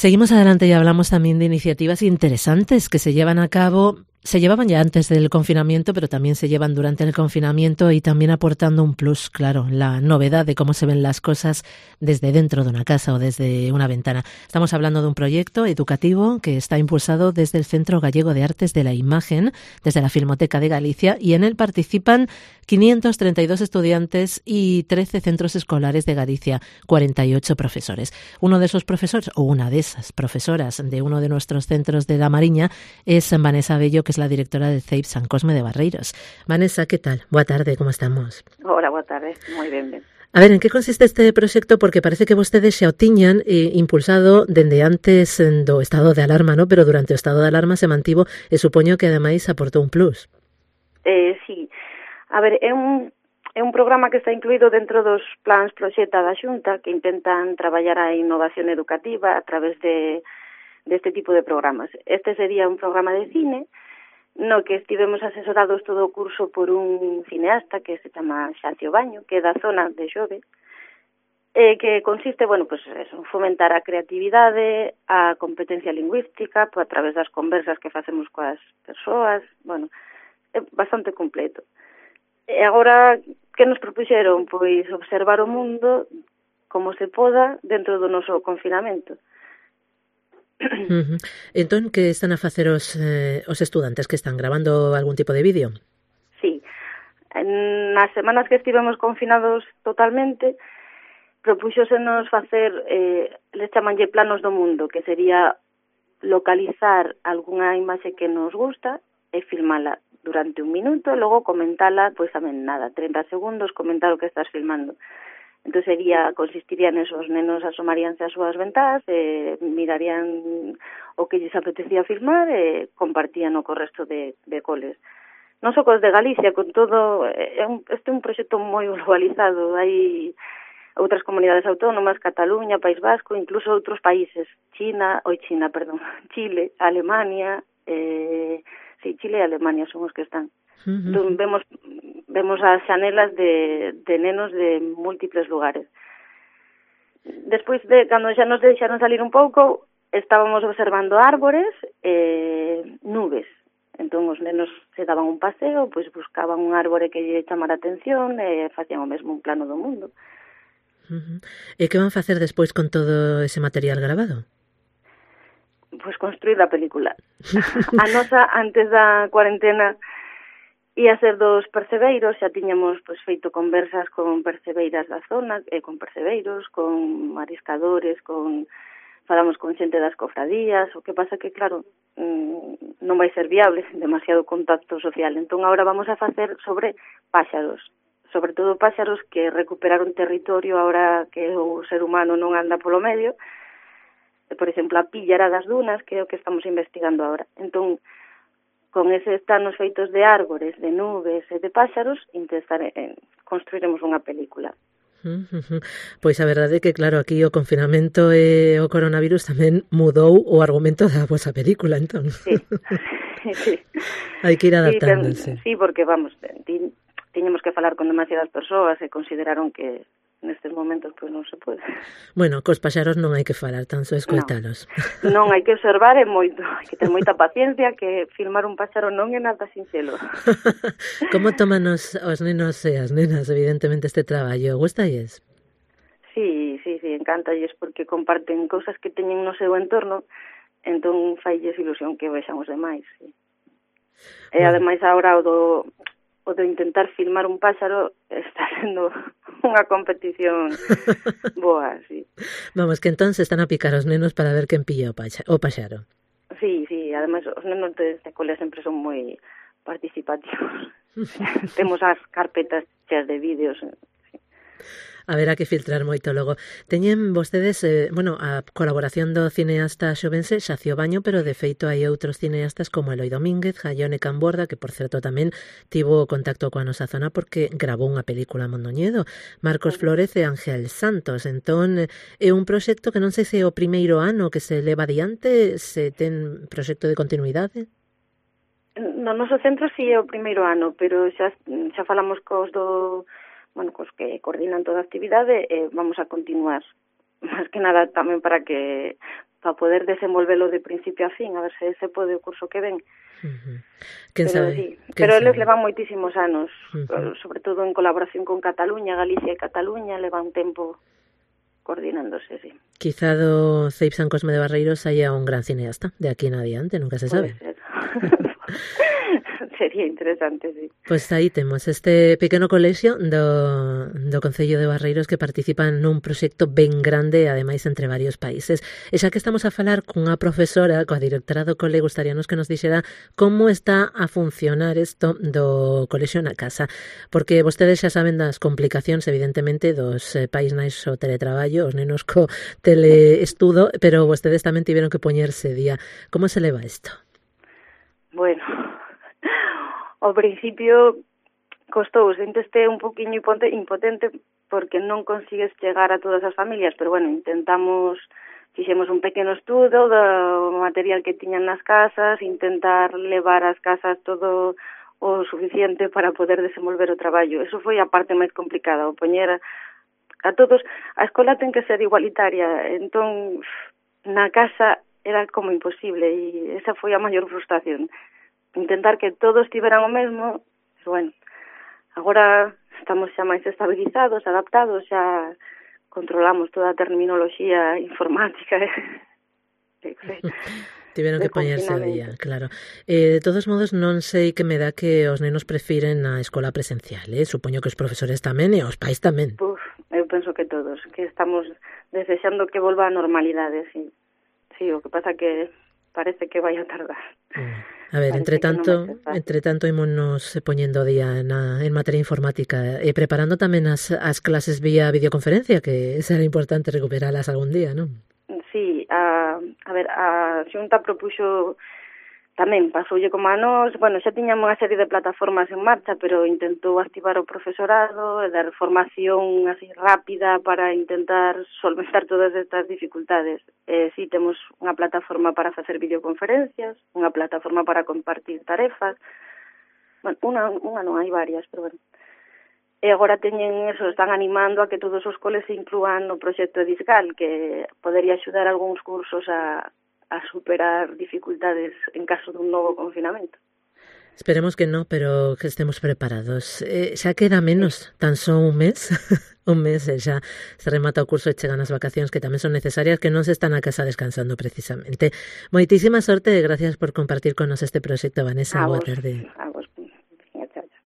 Seguimos adelante y hablamos también de iniciativas interesantes que se llevan a cabo. Se llevaban ya antes del confinamiento, pero también se llevan durante el confinamiento y también aportando un plus, claro, la novedad de cómo se ven las cosas desde dentro de una casa o desde una ventana. Estamos hablando de un proyecto educativo que está impulsado desde el Centro Gallego de Artes de la Imagen, desde la Filmoteca de Galicia, y en él participan 532 estudiantes y 13 centros escolares de Galicia, 48 profesores. Uno de esos profesores, o una de esas profesoras de uno de nuestros centros de La Mariña, es Vanessa Bello, que es la directora de CEIP San Cosme de Barreiros. Vanessa, ¿qué tal? Boa tarde, como estamos? Hola, boa tarde, moi ben. A ver, en que consiste este proxecto? Porque parece que vostedes xa o tiñan impulsado dende antes do estado de alarma, ¿no? Pero durante o estado de alarma se mantivo e supoño que ademais aportou un plus. Sí. A ver, é un programa que está incluído dentro dos plans proxecta da Xunta que intentan traballar a innovación educativa a través deste tipo de programas. Este sería un programa de cine no que estivemos asesorados todo o curso por un cineasta que se chama Xacio Baño, que é da zona de Xove, que consiste, pues eso, fomentar a creatividade, a competencia lingüística, a través das conversas que facemos coas persoas, é bastante completo. E agora, que nos propuxeron? Pois observar o mundo como se poda dentro do noso confinamento. Entón, que están a facer os estudantes? Que están grabando algún tipo de vídeo? Sí. Nas semanas que estivemos confinados totalmente, propúxosenos facer, les chamanlle planos do mundo, que sería localizar algunha imaxe que nos gusta e filmala durante un minuto e logo comentala, pois tamén 30 segundos, comentar o que estás filmando. Entón consistiría neso, os nenos asomaríanse ás súas ventás, mirarían o que lles apetecía filmar e compartían o co resto de coles. Non só cos de Galicia, con todo, este é un proxecto moi globalizado, hai outras comunidades autónomas, Cataluña, País Vasco, incluso outros países, Chile, Alemania, Chile e Alemania son os que están. Entón, vemos as xanelas de nenos de múltiples lugares. Despois cando xa nos deixaron salir un pouco, estábamos observando árbores e nubes. Entón, os nenos se daban un paseo, pois buscaban un árbore que lle chamara a atención e facían o mesmo un plano do mundo. E que van facer despois con todo ese material grabado? Pois construir a película. A nosa, antes da cuarentena, ia ser dos percebeiros, xa tiñamos feito conversas con percebeiras da zona, con percebeiros, con mariscadores, falamos con xente das cofradías, o que pasa que, claro, non vai ser viable, demasiado contacto social. Entón, agora vamos a facer sobre páxaros, sobre todo páxaros que recuperaron territorio agora que o ser humano non anda polo medio. Por exemplo, a píllara das dunas, que é o que estamos investigando agora. Entón, con eses planos feitos de árbores, de nubes e de páxaros, construiremos unha película. Pois a verdade é que, claro, aquí o confinamento e o coronavirus tamén mudou o argumento da vosa película, entón. Sí. Hai que ir adaptándose. Sí, porque, tiñemos que falar con demasiadas persoas e consideraron que nestes momentos non se pode. Bueno, cos paxaros non hai que falar, tan só escoitalos. Non, hai que observar e moito, hai que ter moita paciencia, que filmar un paxaro non é nada sinxelo. Como toman os nenos e as nenas, evidentemente, este traballo? Gústalles? Sí, encántalles, porque comparten cousas que teñen no seu entorno, entón failles ilusión que vexan os demais, sí. E ademais agora o de intentar filmar un páxaro está sendo unha competición boa, sí. Vamos, que entón se están a picar os nenos para ver quen pilla o paxaro. Sí, ademais os nenos de cole sempre son moi participativos. Temos as carpetas cheas de vídeos. Haberá que filtrar moito logo. Teñen vostedes, a colaboración do cineasta xovense Xacio Baño, pero de feito hai outros cineastas como Eloi Domínguez, Jaione Camborda, que por certo tamén tivo contacto coa nosa zona porque grabou unha película a Mondoñedo, Marcos Flórez e Ángel Santos. Entón, é un proxecto que non sei se é o primeiro ano que se leva adiante, se ten proxecto de continuidade. No noso centro sí é o primeiro ano, pero xa falamos cos que coordinan toda a actividade e vamos a continuar. Más que nada tamén para que para poder desenvolvelo de principio a fin, a ver se pode o curso que ven. Quen sabe? Sí. Pero eles levan moitísimos anos, sobre todo en colaboración con Cataluña, Galicia e Cataluña, levan tempo coordinándose, sí. Quizá do CEIP San Cosme de Barreiros haya un gran cineasta de aquí en adiante, nunca se sabe. Sería interesante, sí. Pois aí temos este pequeno colexio do Concello de Barreiros que participa nun proxecto ben grande, ademais entre varios países. E xa que estamos a falar cunha profesora, coa directora do cole, gustaríanos que nos dixera como está a funcionar isto do colexio na casa, porque vostedes xa saben das complicacións, evidentemente, dos pais nais o teletraballo, os nenos co teleestudo, pero vostedes tamén tiveron que poñerse día. Como se leva isto? Bueno, ao principio costou, senteste un poquinho impotente porque non consigues chegar a todas as familias, pero bueno, fixemos un pequeno estudo do material que tiñan nas casas, intentar levar ás casas todo o suficiente para poder desenvolver o traballo. Eso foi a parte máis complicada, o poñer a todos. A escola ten que ser igualitaria, entón na casa era como imposible e esa foi a maior frustración. Intentar que todos tiveran o mesmo, pero bueno, agora estamos xa máis estabilizados, adaptados, xa controlamos toda a terminoloxía informática. Tiveron que poñerse a día, claro. De todos modos, non sei que me dá que os nenos prefiren a escola presencial, Supoño que os profesores tamén e os pais tamén. Eu penso que todos, que estamos desexando que volva a normalidade, sí. Sí, o que pasa que parece que vai a tardar. A ver, entre tanto ímonos poñendo día en materia informática e preparando tamén as clases vía videoconferencia, que será importante recuperalas algún día, non? Sí, a Xunta propuxo tamén, pasoulle como a nós, bueno, xa tiñamos unha serie de plataformas en marcha, pero intentou activar o profesorado e dar formación así rápida para intentar solventar todas estas dificultades. Sí, temos unha plataforma para facer videoconferencias, unha plataforma para compartir tarefas, bueno, unha non, hai varias, pero bueno. E agora están animando a que todos os coles se inclúan no proxecto Edisgal, que podería axudar algúns cursos a superar dificultades en caso dun novo confinamento. Esperemos que no, pero que estemos preparados. Xa queda menos, tan só un mes. Un mes e xa se remata o curso e chegan as vacacións que tamén son necesarias, que non se están a casa descansando precisamente. Moitísima sorte e gracias por compartir con nos este proxecto, Vanessa. Boa tarde.